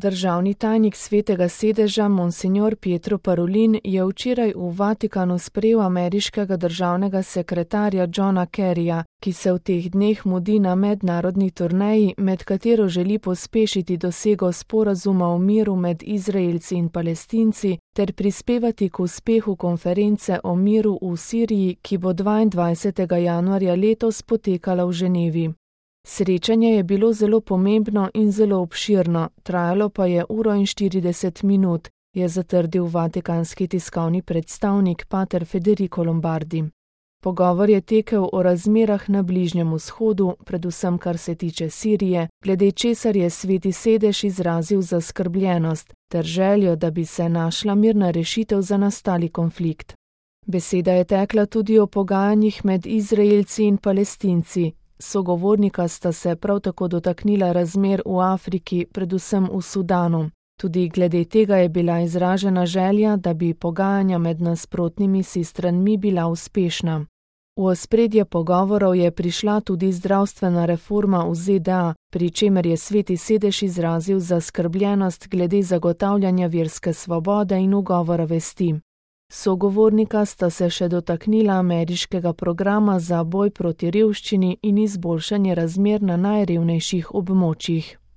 Državni tajnik Svetega sedeža Monsignor Pietro Parolin je včeraj v Vatikanu sprejel ameriškega državnega sekretarja Johna Kerryja, ki se v teh dneh mudi na mednarodni turneji, med katero želi pospešiti dosego sporazuma o miru med Izraelci in Palestinci ter prispevati k uspehu konference o miru v Siriji, ki bo 22. januarja letos potekala v Ženevi. Srečanje je bilo zelo pomembno in zelo obširno, trajalo pa je 1:40 minut, je zatrdil vatikanski tiskovni predstavnik pater Federico Lombardi. Pogovor je tekel o razmerah na Bližnjem vzhodu, predvsem kar se tiče Sirije, glede česar je Sveti sedež izrazil zaskrbljenost ter željo, da bi se našla mirna rešitev za nastali konflikt. Beseda je tekla tudi o pogajanjih med Izraelci in Palestinci. Sogovornika sta se prav tako dotaknila razmer v Afriki, predvsem v Sudanu. Tudi glede tega je bila izražena želja, da bi pogajanja med nasprotnimi si stranmi bila uspešna. V ospredje pogovorov je prišla tudi zdravstvena reforma v ZDA, pri čemer je Sveti sedež izrazil zaskrbljenost glede zagotavljanja verske svobode in ugovora vesti. Sogovornika sta se še dotaknila ameriškega programa za boj proti revščini in izboljšanje razmer na najrevnejših območjih.